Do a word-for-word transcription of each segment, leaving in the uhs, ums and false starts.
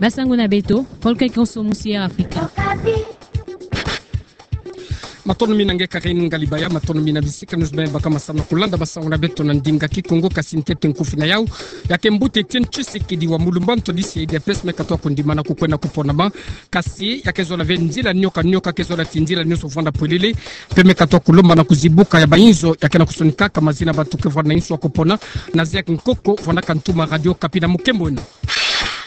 Basango na beto, Paul Kekonso, Musière Africa. Matondo mingi na nge Karine Ngalibaya, matondo mingi na bisika nyonso beno baka masamu na kulanda basango na beto na ndinga Kikongo, kasi ntete nkufi na yau ya ke mbuta Etienne Tshisekedi wa Mulumba, ntwadisi ya U D P S, me katoa kondimana kukwenda kuponama. Kasi ya ke zola ve nzila nioka nioka, ke zola ti nzila nyonso vwanda polele, mpe me katoa kulomba na kuzibuka ya bainzo ya ke na kusonikaka mazina bato ke vwanda na insu ya kupona. Nazaire Nkoko, vwandaka ntuma Radio Okapi, na mukemb'ena.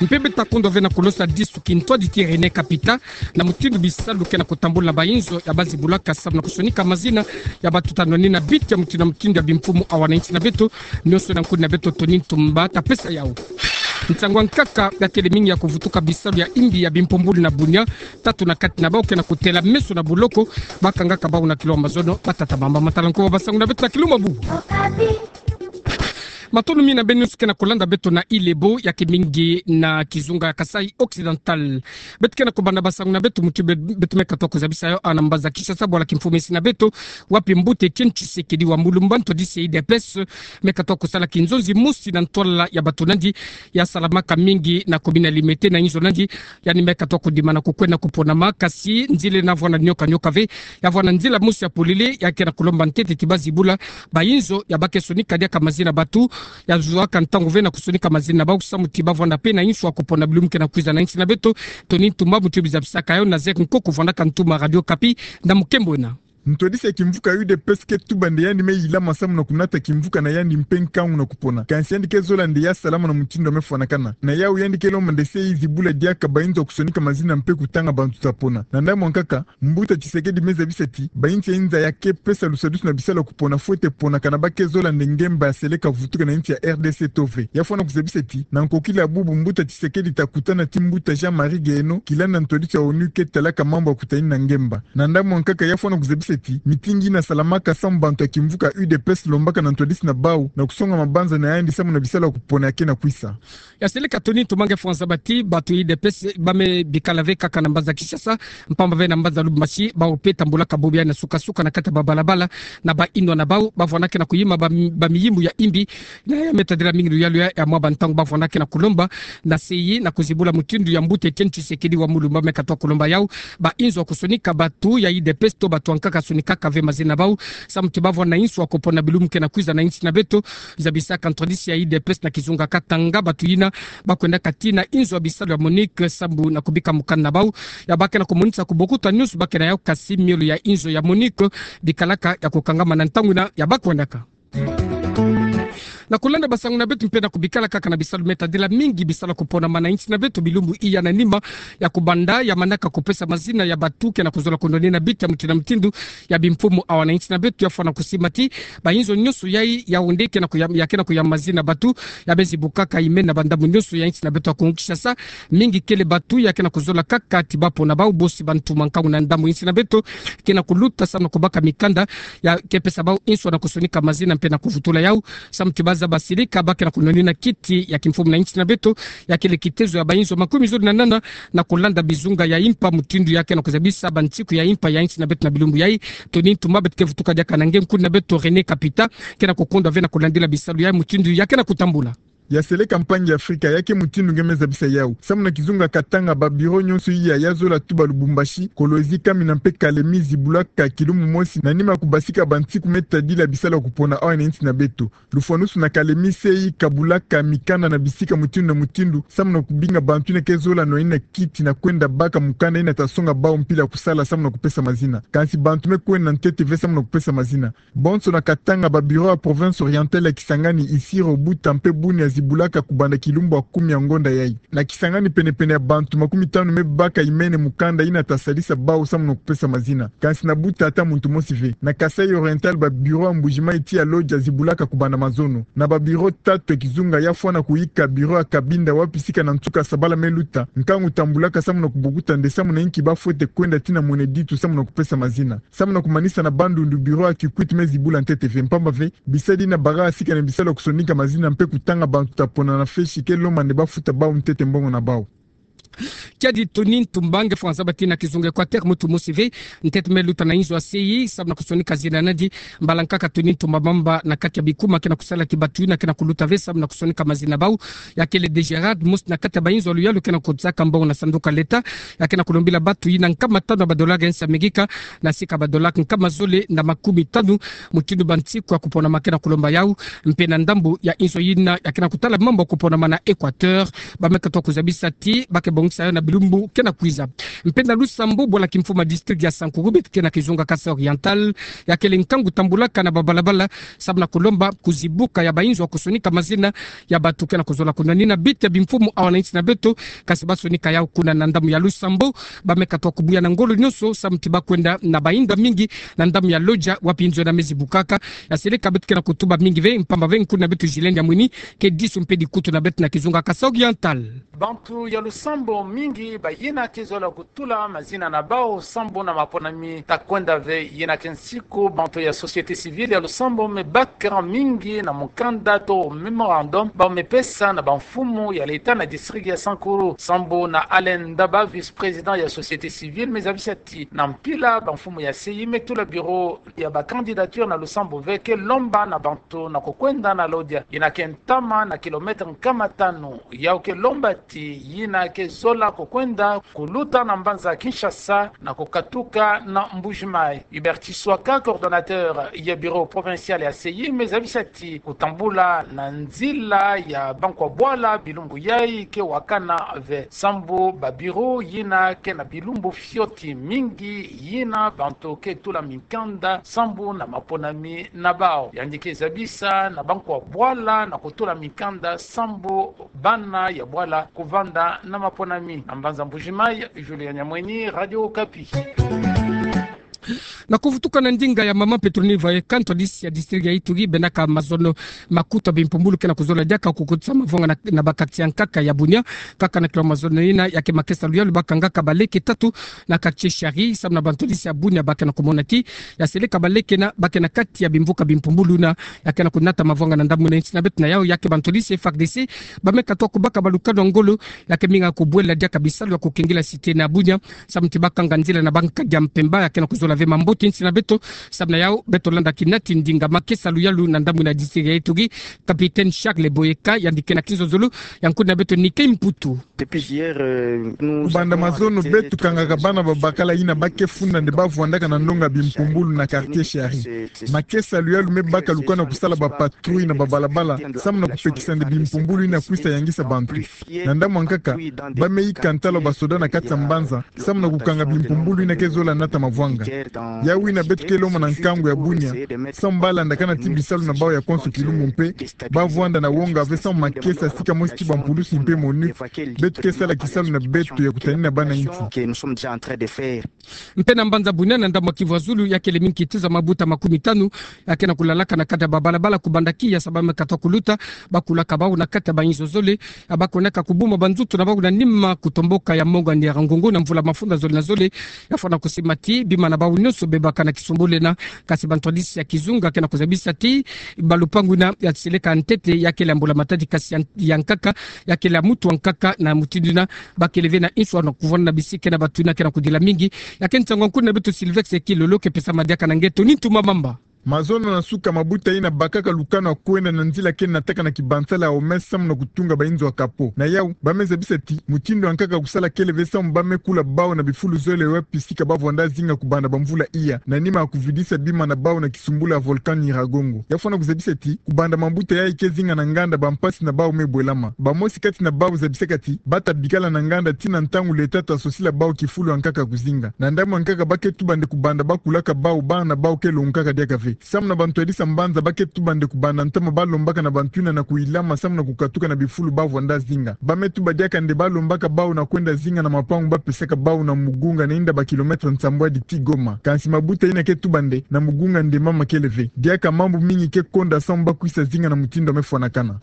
Mpe beto ta kondwa ve na kulosa disu kintwadi ti René Kapita na mutindu bisalu ke na kutambula na bainzo ya bazibulaka samu na kusonika mazina ya bato ta nwani na biti ya mutindu na mutindu ya bimfumu awa na insi na beto. Nyonso na nkuni na beto Tony Ntumba ta pesa yau. Nsangu ya nkaka ya kele mingi ya kuvutuka bisalu ya imbi ya bimpumbulu na Bunia. Tatu na kati na bau ke na kutela meso na buloko, ba kangaka bau na kilo ya mazono, ba tata, bamama, tala nko ba basango na beto na kilumbu bubu. Matondo mingi na beno nyonso ke na kulanda beto na Île Ébou, ya ke mingi na kizunga ya Kasaï Occidental. Beto ke na kubanda basango na beto mutindu be-, beto me katoa kuzabisa yau awa na mbanza Kinshasa, bwala kimfumu ya insi na beto, wapi mbuta Etienne Tshisekedi wa Mulumba, ntwadisi ya U D P S, me katoa kusala kinzonzi mosi na ntwala ya bato na yandi ya salamaka mingi na commune ya Limete na inzo na yandi, yandi me katoa kondimana kukwenda kuponama. Kasi nzila ena vwanda nioka nioka ve, ya vwanda nzila mosi ya polele, ya ke na kulomba ntete ti bazibula bainzo ya ba ke sonika diaka mazina bato, ya zuaka ntangu ve na kusonika mazina bau samu ti ba vwanda mpe na insu ya kupona bilumbu ke na kwiza na insi na beto. Tony Ntumba, mutindu bizabisaka yau, Nazaire Nkoko, vwandaka ntuma Radio Okapi, na mukemb'ena. Ntwadisi ya kimvuka U D P S ke tuba nde yandi me yilama samu na kunata kimvuka na yandi mpe nkangu na kupona. Kansi yandi ke zola nde ya salama na mutindu ya me fwanakana. Na yau yandi ke lomba nde se yi zibula diaka bainzo ya kusonika mazina mpe kutanga bantu ta pona. Na ndambu ya nkaka, mbuta Tshisekedi me zabisa ti bainsi ya inza ya ke pesa lusadisu na bisalu ya kupona fwete ponakana, ba ke zola nde ngemba ya seleka vutuka na insi ya R D C to ve. Ya fwana kuzabisa ti na nkokila ya bubu mbuta Tshisekedi ta kutana ti mbuta Jean-Marie Guéhenno, kilanda ntwadisi ya ONU ke talaka mambu ya kutadini na ngemba. Na ndambu ya nkaka ya fwana kuzabisa ti mitingi ina salamaka samu bantu ya kimvuka U D P S lombaka na ntwadisi na bau na kusonga mabanza na yandi samu na bisalu ya kupona ya ke na kwisa. Ya seleka Tony Ntumba, nge fwa nzaba ti bato ya U D P S ba me bikala ve kaka na mbanza Kinshasa, mpamba ve na mbanza Lubumbashi, bau mpe tambulaka bobo ya na suka-suka na kati ya babalabala na bainwa na bau, ba vwandaka na kuyima ba, bamiyimbu ya imbi, na ya me tadila mingi luyalu ya, ya mwa bantangu ba vwandaka na kulomba na se yi na kuzibula mutindu ya mbuta Etienne Tshisekedi wa Mulumba me katoa kulomba yau bainzo ya kusonika bato ya U D P S to bato ya nkaka sonikaka ve mazina na bau, samu ti ba vwanda na insu ya kupona bilumbu ke na kwiza na insi na beto. Zabisaka ntwadisi ya U D P S na kizunga Katanga, bato yina ba kwendaka tii na inzo ya bisalu ya MONUC samu na kubika mukanda na bau ya ba ke na kumonisa kubokuta nyonso ba ke na yau, kasi miolo ya inzo ya MONUC bikalaka ya kukangama na ntangu ina ya ba kwendaka. Na kulanda basango na beto mpe na kubikala kaka na bisalu me tadila mingi bisalu ya kuponama na insi na beto bilumbu iya na nima ya kubanda ya manaka kupesa mazina ya bato ke na kuzola kunwani na biti ya mutindu na mutindu ya bimfumu awa na insi na beto, ya fwana kusimba ti bainzo nyonso yai, yau nde ke na kuya, ya ke na kuya mazina bato ya me zibukaka imen na bandambu nyonso ya insi na beto ya Kongo Kinshasa. Mingi kele bato ya ke na kuzola kaka ti ba pona bau, bosi bantu mankangu na ndambu insi na beto ke na kuluta samu na kubaka mikanda ya ke pesa bau insu na kusonika mazina mpe na kuvutula yau samu ti ba zaba silika ba ke na kunwani na kiti ya kimfumu na insi na beto. Ya kele kitezo ya bainzo makumi zole na nana na kulanda bizunga ya impa mutindu ya ke na kuzabisa bansiku ya impa ya insi na beto na bilumbu yai. Tony Ntumba, beto ke vutuka diaka na nge, nkuni na beto René Kapita ke na kukondwa ve na kulandila bisalu ya mutindu ya ke na kutambula. Ya seleka mpangi ya Afrika, ya ke mutindu nge me zabisa yau. Samu na kizunga Katanga, ba bureau nyonso iya ya zola tuba Lubumbashi, Kolwezi, Kamina mpe Kalemi zibulaka kilumbu mosi na nima ya kubasika bansiku me tadila bisalu ya kupona awa na insi na beto. Lufwanusu na Kalemi se yi kabulaka mikanda na bisika mutindu na mutindu samu na kubinga bantu ina ke zola nwani na kiti na kwenda baka mukanda ina ta songa bau mpila ya kusala samu na kupesa mazina. Kansi bantu me kwenda ntete ve samu na kupesa mazina. Bonso na Katanga, ba bureau ya province orientale ya Kisangani, Isiro, Buta mpe Bunia zibulaka kubanda kilumbu ya kumi ya ngonda yai. Na Kisangani, penepene ya bantu makumi tanu me baka imene mukanda ina ta sadisa bau samu na kupesa mazina. Kansi na Buta ata muntu mosi ve. Na Kasaï Oriental, ba bureau ya Mbuji-Mayi tii ya Lodja zibulaka kubanda mazono. Na ba bureau tatu ya kizunga, ya fwana kuyika bureau ya Cabinda, wapi sika na nsuka sabala me luta, nkangu tambulaka samu na kubokuta nde samu na inki ba fwete kwenda tii na Moneditu samu na kupesa mazina. Samu na kumanisa, na Bandundu bureau ya Kikwit me zibula ntete ve, mpamba ve bisadi ina baka sika na bisalu ya kusonika mazina mpe kutanga bantu ta pona na fesi ke lomba nde ba futa bau ntete mbongo na bau. Kiadi Tony Ntumba, nge fwanza bati na kizunga Equateur, mutu mosi ve, ntete me luta na inzo ya seyi, samu na kusonika zina nadi, mbala nkaka Tony Ntumba Mamba na kati ya bikuma ke na kusala ti batu yina ke na kuluta ve, samu na kusonika mazina bau, ya kele Degerad, mosi na kati ya bainzo ya luyalu ke na kuzaka mbongo na sanduku ya leta, ya ke na kulombila batu yina nkama tanu ya badolari ya nsi ya Amerika, na sika badolari nkama zole na makumi tanu, mutindu bansiku ya kuponama ke na kulomba yau, mpe na ndambu ya inzo yina, ya ke na kutala mambu ya kuponama na Equateur, ba me katuka kuzabisa ti ba ke bongisa yau na bilumbu ke na kwiza. Mpe na Lusambon, bwala kimfumu ya district ya Sankuru, beto ke na kizunga Kasaï Oriental, ya kele nkangu tambulaka na babalabala, samu na kulomba kuzibuka ya bainzo ya kusonika mazina ya batu ke na kuzola kuna. Ni na bite bimfumu awa na insi na beto, kasi ba sonika yau kuna na ndambu ya Lusambon, ba me katuka kubuya na ngolo nyonso, samu ti ba kwenda na bainda mingi, na ndambu ya Lodja, wapi inzo yina me zibukaka, ya seleka beto ke na kutuba mingi ve, mpamba ve nkuna beto Gilles Ndiamwini, ke disu mpe dikutu na beto na kizunga Kasaï Oriental. Bantu ya Lusambon mingi, bayina ke zola kutula mazina na bau, samu na maponami ta kwenda ve. Yina ke nsiku, bantu ya société civile ya Lusambon me baka mingi na mukanda to mémorandum, ba me pesa na bamfumu ya leta na district ya Sankuru. Samu na Alain Ndaba, vice-président ya société civile, me zabisa ti na mpila bamfumu ya seyi me tula bureau ya ba candidature na Lusambon ve, ke lomba na bantu na kukwenda na Lodja, yina ke ntama na kilomètre nkama tanu. Yau ke lomba ti yina ke zola kukwenda kuluta na mbanza Kinshasa na kukatuka na Mbuji-Mayi. Hubert Tshiswaka, coordonnateur ya bureau provincial ya seyi, me zabisa ti kutambula na nzila ya bankwa bwala bilumbu yai ke wakana ve, samu ba bureau yina ke na bilumbu fioti mingi yina bantu ke tula mikanda samu na maponami na bau. Yandi ke zabisa na bankwa bwala na kutula mikanda samu bana ya bwala kuvanda na maponami. Na mbanza Mbuji-Mayi, Julien Nyamweni, Radio Okapi. Na kuvutuka na ndinga ya mama Petronile Voyeka, ntwadisi ya district ya Ituri, bendaka mazono makuta bimpumbulu ke na kuzola diaka kukotisa mavwanga na, na ba quartier ya nkaka ya Bunia. Kaka na kilo mazono yina, ya ke makesa luyalu ba kangaka baleke tatu na quartier Shari, samu na bantwadisi ya Bunia ba ke na kumona ti ya seleka baleke yina ba ke na kati ya bimvuka bimpumbulu yina, ya ke na kunata mavwanga na ndambu na insi na beto na yau. Ya ke bantwadisi F A R D C ba me katuka kubaka balukanu ya ngolo, ya ke minga kubwela diaka bisalu ya kukengela cité na Bunia, samu ti ba kanga nzila na ba nkadi ya mpemba. Ya ke na kuzola ve mambote insi na beto, samu na yau beto landa kinati ndinga makesa luyalu na ndambu na district ya Ituri, capitaine Charles Boyeka, yandi ke na kizozolo ya nkuna beto Nike Mputu. Depuis hier, euh, nous avons arrêté trois personnes. Kubanda mazono, beto kangaka bana babakala yina ba ke funda nde ba vwandaka na ndonga bimpumbulu na quartier Shari. Makesa luyalu me baka lukanu ya kusala ba patrouille na babalabala, samu na kupekisa nde bimpumbulu yina kwisa yangisa bantu. Na ndambu ya nkaka, ba me yika ntalo ya basoda na kati ya mbanza, samu na kukanga bimpumbulu yina ke zola nata mavwanga. Yau yina beto ke lomba na nkangu ya Bunia, samu ba landakana ti bisalu na bau ya konso kilumbu mpe ba vwanda na wonga ve, samu makesa sika mosi ti bampulusi mpe MONUC, beto ke sala kisalu na beto ya kutanina bana insi. Mpe na mbanza Bunia, na ndambu ya Kivu ya Zulu, ya kele minkituza mabuta makumi tanu ya ke na kulalaka na kati ya babalabala kubanda kiya, samu ba me katuka kuluta, ba kulaka bau na kati ya bainzo zole, ya ba kwendaka kubuma banzutu na bau na nima kutomboka ya monga Nyiragongo na mvula mafunda zole na zole. Ya fwana kusima ti bima na bau nyonso bebaka na kisumbulu yina, kasi bantwadisi ya kizunga ke na kuzabisa ti balupangu yina ya seleka ntete, ya kele ya mbula matadi, kasi ya, ya nkaka, ya kele ya mutu wa nkaka. Na mutindu yina, ba kele ve na inswa na kuvwanda na bisika na batu yina ke na kudila mingi. Ya ke nsangu ya nkuna beto Sylvestre Kilolo ke pesama diaka na nge Tony Ntuma Mamba. Mazono na suka, mabuta yina bakaka lukanu ya kwenda na nzila ke nataka na kibansala ya Omes samu na kutunga bainzo ya kapo. Na yau, ba me zabisa ti mutindu ya nkaka ya kusala kele ve, samu ba me kula bau na bifulu zole wapi sika ba vwanda zinga kubanda bamvula iya, na nima ya kuvidisa bima na bau na kisumbulu ya volcan Nyiragongo. Ya fwana kuzabisa ti kubanda mabuta yayi ke zinga na nganda, bampasi na bau me bwelama. Bamosi kati na bau zabisaka ti ba ta bikala na nganda tii na ntangu leta ta sosila bau kifulu ya nkaka ya kuzinga. Na ndambu ya nkaka, ba ke tuba nde kubanda ba kulaka bau, bana na bau ke longukaka diaka ve. Samu na bantwadisi ya mbanza, ba ke tuba nde kubanda ntama ba lombaka na bantu yina na kuyilama samu na kukatuka na bifulu ba vwanda zinga. Ba me tuba diaka nde ba lombaka bau na kwenda zinga na mapangu ba pesaka bau na Mugunga, na inda ba kilomètre nsambwadi tii Goma. Kansi mabuta yina ke tuba nde na Mugunga nde mama kele ve. Diaka mambu mingi ke konda samu ba kwisa zinga na mutindu ya me fwanakana.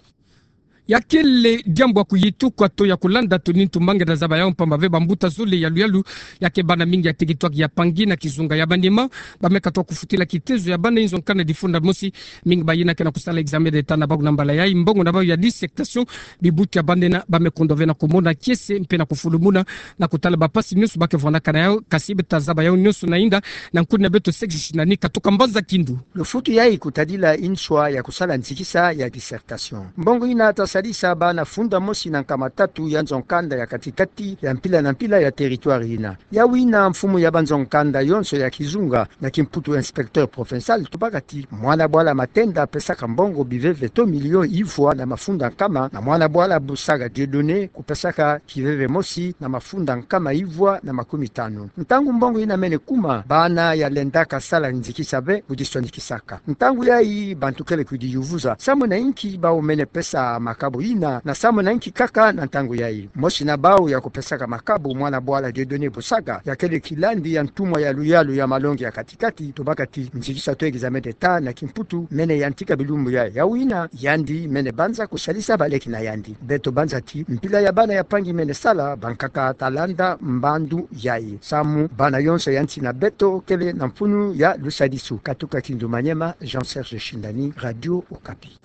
Ya kele diambu ya kuyitu kwa to ya kulanda Tony Ntumba nge na zaba yau mpamba ve bambuta zole ya luyalu, ya ke bana mingi ya tekitwaki ya pangi na kizunga ya banima, bameka twa kufutila kitezo ya bana inzo nkanda difunda mosi, mingi bayina ke na kusala examen d'État na bau na mbala yai, mbongo na bau ya dissertation, bibuti ya bana yina bameka ndo ve na kumona kiese, mpe na kufulumuna, na kutala bampasi nyonso ba ke vwanakana yau, kasi beta zaba yau nyonso na inda, na nkuni na beto Sexy Shinani katuka mbanza Kindu. Lufutu yai kutadila inswa ya kusala nzikisa ya dissertation. Mbongo yina ta sadisa bana funda mosi na nkama tatu ya nzo nkanda ya kati-kati ya mpila na mpila ya territoire yina. Yau yina mfumu ya banzo nkanda yonso ya kizunga, na kimputu inspecteur provincial, tubaka ti mwana bwala Matenda pesaka mbongo biveve to milio ivwa na mafunda nkama, na mwana bwala Busaga Dieudonné kupesaka kiveve mosi na mafunda nkama ivwa na makumi tanu. Ntangu mbongo yina mene kuma, bana ya lendaka sala nzikisa ve kudiswanikisaka. Ntangu yai bantu kele kudiyuvuza: Samu na inki bau mene pesa makabu yina, na samu na inki kaka na ntangu yai? Mosi na bau ya kupesaka makabu, mwana bwala Dieudonné Busaga, ya kele kilandi ya ntumwa ya luyalu ya malongi ya kati-kati, tubaka ti nzikisa to examen d'État na kimputu mene yantika bilumbu yai. Yau yina yandi mene banza kusalisa baleki na yandi. Beto banza ti mpila ya bana ya pangi mene sala, bankaka ta landa mbandu yai. Samu bana yonso ya nsi na beto kele na mfunu ya lusadisu. Katuka Kindu Maniema, Jean-Serge Shindani, Radio Okapi.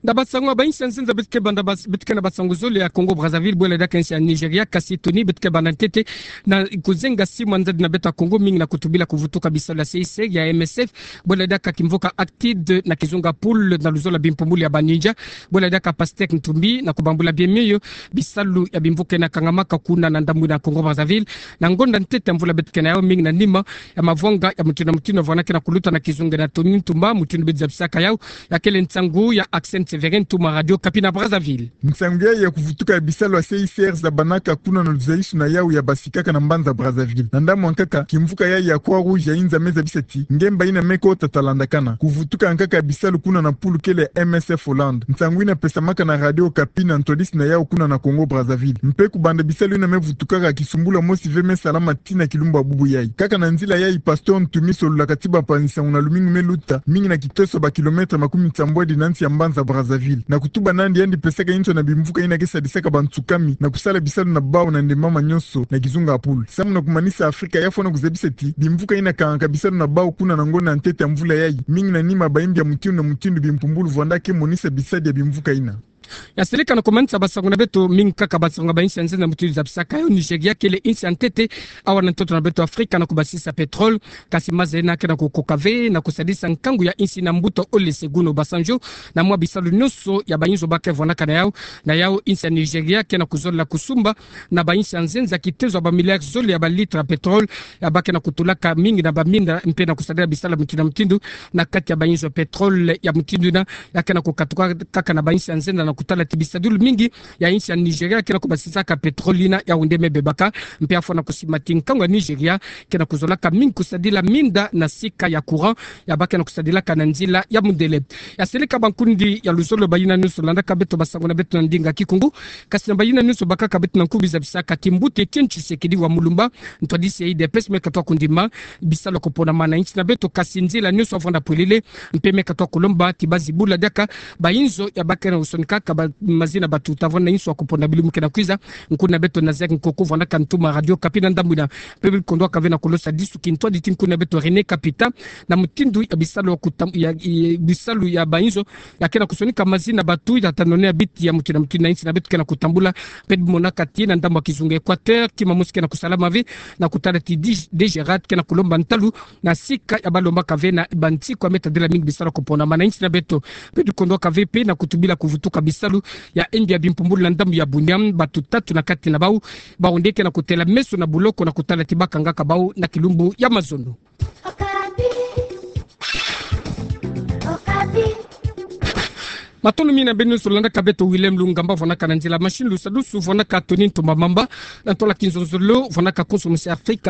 Na basango ya bainsi ya nzenza, beto ke banda bas-, beto ke na basango zole ya Congo Brazzaville, bwela diaka insi ya Nigeria, kasi Tony, beto ke banda ntete na kuzenga simu ya nzadi na beto ya Congo, mingi na kutubila kuvutuka bisalu ya C I C R, ya M S F, bwela diaka kimvuka Actide na kizunga poule na luzolo ya bimpumbulu ya ba ninja, bwela diaka Pasteur Ntumbi na kubambula bien miyo bisalu ya bimvuka yina kangamaka kuna na ndambu na Congo Brazzaville, na ngonda ntete ya mvula beto ke na yau, mingi na nima ya mavwanga ya mutindu na mutindu ya vwanga ke na kuluta na kizunga na Tony Ntumba, mutindu beto zabisaka yau, ya kele nsangu ya Accent Sévérin, ntuma Radio Okapi na Brazzaville. Nsangu yai ya kuvutuka ya bisalu ya C I C R zabanaka kuna na luzaisu na yau ya basikaka na mbanza Brazzaville. Na ndambu ya nkaka, kimvuka yai ya Croix-Rouge ya inza me zabisa ti ngemba yina me kota ta landakana. Kuvutuka ya nkaka ya bisalu kuna na poule kele ya M S F Hollande. Nsangu yina pesamaka na Radio Okapi na ntwadisi na yau kuna na Congo Brazzaville. Mpe kubanda bisalu yina me vutukaka, kisumbulu ya mosi ve me salama tii na kilumbu ya bubu yai. Kaka na nzila yai, Pasteur Ntumbi solulaka ti bampanzi-nsangu na lumingu me luta, mingi na kitoso ba kilomètre makumi nsambwadi na nsi ya mbanza Brazzaville, na kutuba nandi yandi pesaka inswa na bimvuka yina ke sadisaka bansukami na kusala bisalu na bau na ndembama nyonso na kizunga ya poule. Samu na kumanisa Afrika, ya fwana kuzabisa ti bimvuka yina kangaka bisalu na bau kuna na ngonda ya ntete ya mvula yai, mingi na nima bayimbi ya mutindu na mutindu bimpumbulu vwanda ke monisa bisadi ya bimvuka yina. Ya seleka na kumanisa basango na beto, mingi kaka basango ya bainsi ya nzenza mutindu zabisaka yau, Nigeria kele insi ya ntete awa na ntoto na beto Afrika na kubasisa pétrole, kasi maza yina ke na kukoka ve na kusadisa nkangu ya insi na mbuta Olusegun Obasanjo na mwa bisalu nyonso ya bainzo ba ke vwanaka na yau. Na yau insi ya Nigeria ke na kuzolila kusumba na bainsi ya nzenza kitezo ya ba milliards zole ya ba litres ya pétrole, ya ba ke na kutulaka mingi na baminda mpe na kusadila bisalu ya mutindu na mutindu na kati ya bainzo ya pétrole ya mutindu yina. Ya ke na kukatuka kaka na bainsi ya nzenza na kutala ti bisadilu mingi ya insi ya Nigeria ke na kubasisaka pétrole yina, yau nde me bebaka. Mpe ya fwana kusiba ti nkangu ya Nigeria ke na kuzolaka mingi kusadila minda na sika ya courant, ya ba ke na kusadilaka na nzila ya mundele. Ya seleka bankundi ya luzolo, bayina nyonso landaka beto basango na beto na ndinga Kikongo, kasi na bayina nyonso bakaka beto na nkumbu, zabisaka ti mbuta Étienne Tshisekedi wa Mulumba, ntwadisi ya U D P S, me katuka kundima bisalu ya kuponama na insi na beto, kasi nzila nyonso ya vwanda polele, mpe me katuka kulomba ti bazibula diaka bainzo ya ba ke na kusonikaka ba mazina batuta vwanda inso ya kupona bilumbu ke na kwiza. Nkundi na beto Nazaire Nkoko vwandaka ntuma Radio Okapi na ndambu yina. Mpe bikondwaka ve na kulosa disu kintwadi ti nkundi na beto René Kapita na mutindu ya bisalu ya kutam-, ya, ya, bisalu ya bainzo ya ke na kusonika mazina batu, ya ta none ya biti ya mutindu na mutindu na insi na beto ke na kutambula. Mpe bimonaka ti na ndambu ya kizunga Équateur, kima mosi ke na kusalama ve na kutala ti D G, D G rad ke na kulomba ntalu na sika ya balombaka ve na bansiku ya me tadila mingi bisalu ya kuponama na insi na beto. Mpe bikondwaka ve mpe na kutubila kuvutuka bisalu ya yimbi ya bimpumbulu na ndambu ya Bunia, batu tatu na kati na bau, bau nde ke na kutela meso na buloko na kutala ti ba kangaka bau na kilumbu ya mazono. Matondo mingi na beno nyonso landaka beto. Willem Lungamba vwandaka na nzila machine, lusadusu vwandaka Tony Ntumba Mamba, na ntola kinzonzolo vwandaka konso mosi Afrika.